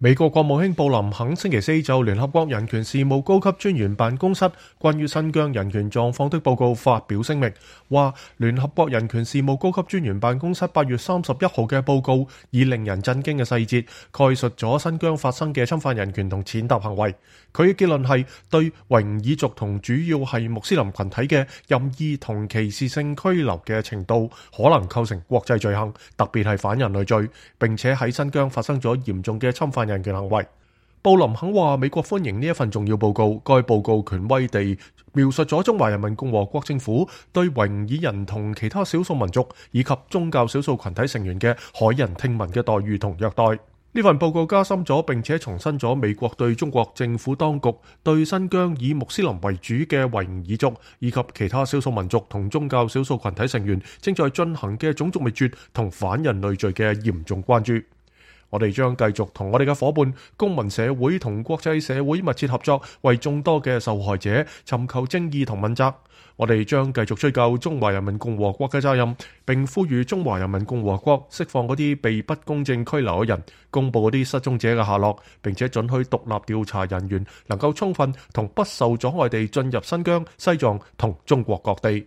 美國國務卿布林肯星期四就聯合國人權事務高級專員辦公室關於新疆人權狀況的報告發表聲明，話聯合國人權事務高級專員辦公室8月31號嘅報告以令人震驚嘅細節概述咗新疆發生嘅侵犯人權同踐踏行為。佢嘅結論係對維吾爾族同主要係穆斯林群體嘅任意同歧視性拘留嘅程度可能構成國際罪行，特別係反人類罪，並且喺新疆發生咗嚴重嘅侵犯人權行為。布林肯話美國歡迎呢一份重要報告，該報告權威地描述咗中華人民共和國政府對維吾爾人同其他少數民族以及宗教少數群體成員嘅駭人聽聞嘅待遇同虐待。呢份報告加深咗並且重申咗美國對中國政府當局對新疆以穆斯林為主嘅維吾爾族以及其他少數民族同宗教少數群體成員正在進行嘅種族滅絕同反人類罪嘅嚴重關注。我哋將繼續同我哋嘅夥伴、公民社會同國際社會密切合作，為眾多嘅受害者尋求正義同問責。我哋將繼續追究中華人民共和國嘅責任，並呼籲中華人民共和國釋放嗰啲被不公正拘留嘅人，公佈嗰啲失蹤者嘅下落，並且准許獨立調查人員能夠充分同不受阻礙地進入新疆、西藏同中國各地。